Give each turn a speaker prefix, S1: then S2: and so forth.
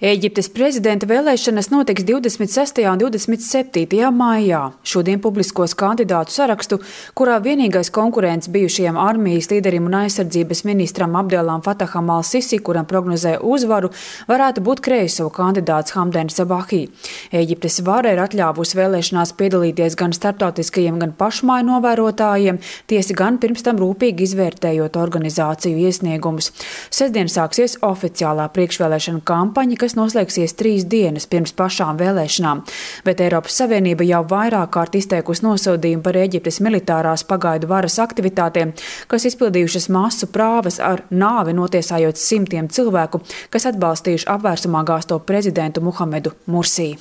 S1: Ēģiptes prezidenta vēlēšanas notiks 26. un 27. maijā. Šodien publiskos kandidātu sarakstu, kurā vienīgais konkurents bijušajam armijas līderim un aizsardzības ministram Abdelam Fataham al-Sisi, kuram prognozē uzvaru, varētu būt kreiso kandidāts Hamdens Sabahī. Ēģiptes vara ir atļāvusi vēlēšanās piedalīties gan starptautiskajiem, gan pašmāju novērotājiem, tiesa gan pirms tam rūpīgi izvērtējot organizāciju iesniegumus. Sestdien sāksies oficiālā priekšvēlēšana kampaņa, kas noslēgsies 3 dienas pirms pašām vēlēšanām, bet Eiropas Savienība jau vairāk kārt izteikusi nosodījumu par Ēģiptes militārās pagaidu varas aktivitātēm, kas izpildījušas masu prāvas ar nāvi notiesājot simtiem cilvēku, kas atbalstījuši apvērsumā gāzto prezidentu Muhamedu Mursī.